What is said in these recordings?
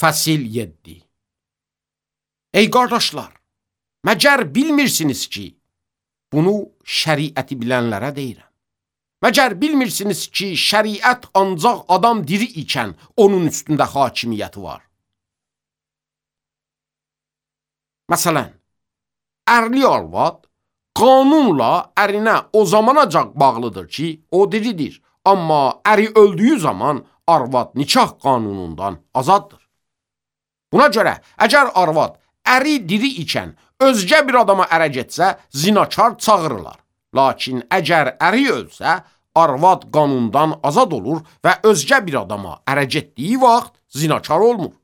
Fəsil 7. Ey qardaşlar, məgər bilmirsiniz ki, bunu şəriəti bilənlərə deyirəm. Məgər bilmirsiniz ki, şəriət ancaq adam diri ikən onun üstündə hakimiyyəti var. Məsələn, ərli arvad qanunla ərinə o zamanacaq bağlıdır ki, o diridir. Amma əri öldüyü zaman arvad nikah qanunundan azaddır. Buna görə, əgər arvad əri diri ikən özgə bir adama ərə getsə, zinakar çağırırlar. Lakin əgər əri ölsə, arvad qanundan azad olur və özgə bir adama ərə getdiyi vaxt zinakar olmur.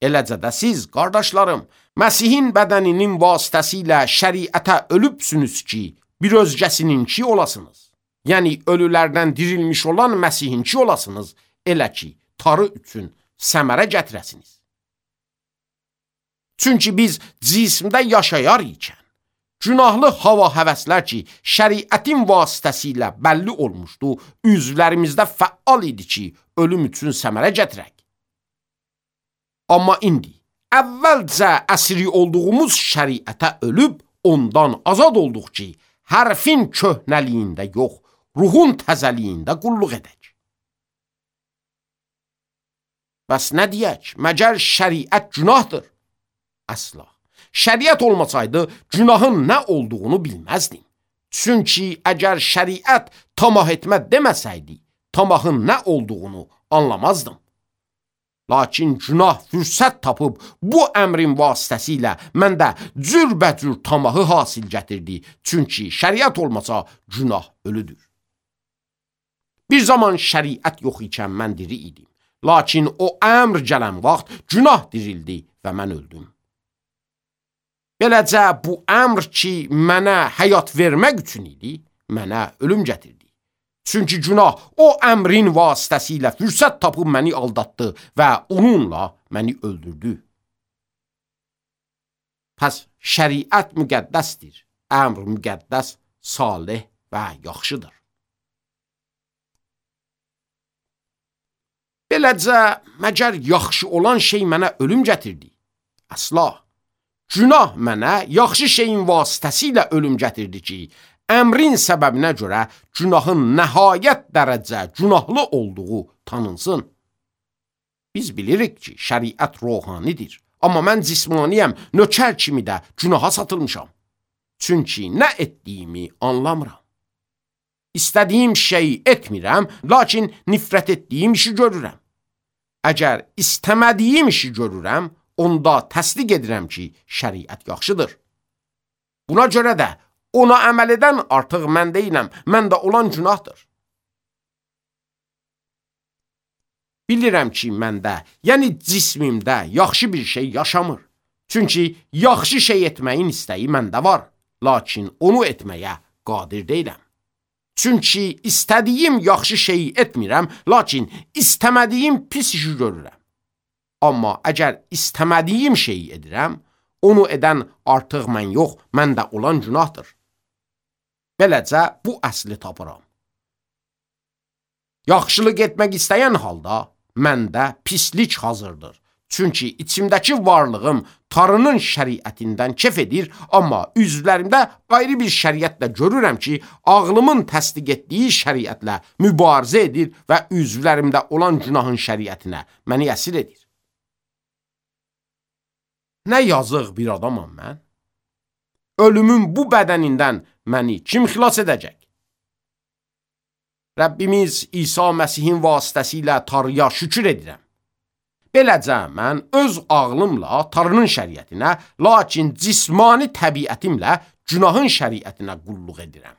Eləcə də siz, qardaşlarım, Məsihin bədəninin vasitəsilə şəriətə ölübsünüz ki, bir özgəsininki olasınız. Yəni, ölülərdən dirilmiş olan Məsihinki olasınız, elə ki, tarı üçün səmərə gətirəsiniz. Çünki biz cismdə yaşayar ikən, günahlı hava həvəslər ki, şəriətin vasitəsilə bəlli olmuşdu, üzvlərimizdə fəal idi ki, ölüm üçün səmərə gətirək. Amma indi, əvvəlcə əsiri olduğumuz şəriətə ölüb, ondan azad olduq ki, hərfin köhnəliyində yox, ruhun təzəliyində qulluq edək. Bəs nə deyək, məgər şəriət günahdır? Əsla. Şəriət olmasaydı, günahın nə olduğunu bilməzdim. Çünki əgər şəriət tamah etmə deməsəydi, tamahın nə olduğunu anlamazdım. Lakin günah fürsət tapıb bu əmrin vasitəsilə məndə cürbəcür tamahı hasil gətirdi. Çünki şəriət olmasa günah ölüdür. Bir zaman şəriət yox ikən mən diri idim. Lakin o əmr gələn vaxt günah dirildi və mən öldüm. Beləcə bu əmr ki, mənə həyat vermək üçün idi, mənə ölüm gətirdi. Çünki günah o əmrin vasitəsilə fürsət tapıb məni aldatdı və onunla məni öldürdü. Pəs şəriət müqəddəsdir, əmr müqəddəs, salih və yaxşıdır. Beləcə, məgər yaxşı olan şey mənə ölüm gətirdi? Əsla. Günah mənə yaxşı şeyin vasitəsilə ölüm gətirdi ki, əmrin səbəbinə görə günahın nəhayət dərəcə günahlı olduğu tanınsın. Biz bilirik ki, şəriət ruhanidir. Amma mən cismaniyəm, nökər kimi də günaha satılmışam. Çünki nə etdiyimi anlamıram. İstədiyim şeyi etmirəm, lakin nifrət etdiyim işi görürəm. Əgər istəmədiyim işi görürəm, onda təsdiq edirəm ki, şəriət yaxşıdır. Buna görə də ona əməl edən artıq mən deyiləm, məndə olan günahdır. Bilirəm ki, məndə, yəni cismimdə yaxşı bir şey yaşamır. Çünki yaxşı şey etməyin istəyi məndə var, lakin onu etməyə qadir deyiləm. Çünki istədiyim yaxşı şeyi etmirəm, lakin istəmədiyim pis işi görürəm. Amma əgər istəmədiyim şeyi edirəm, onu edən artıq mən yox, məndə olan günahdır. Beləcə bu əsli tapıram. Yaxşılıq etmək istəyən halda məndə pislik hazırdır. Çünki içimdəki varlığım Tanrının şəriətindən kef edir, amma üzvlərimdə ayrı bir şəriətlə görürəm ki, ağlımın təsdiq etdiyi şəriətlə mübarizə edir və üzvlərimdə olan günahın şəriətinə məni əsir edir. Nə yazıq bir adamam mən? Ölümün bu bədənindən məni kim xilas edəcək? Rəbbimiz İsa Məsihin vasitəsilə Tanrıya şükür edirəm. Beləcə mən öz ağlımla Tanrının şəriətinə, lakin cismani təbiətimlə günahın şəriətinə qulluq edirəm.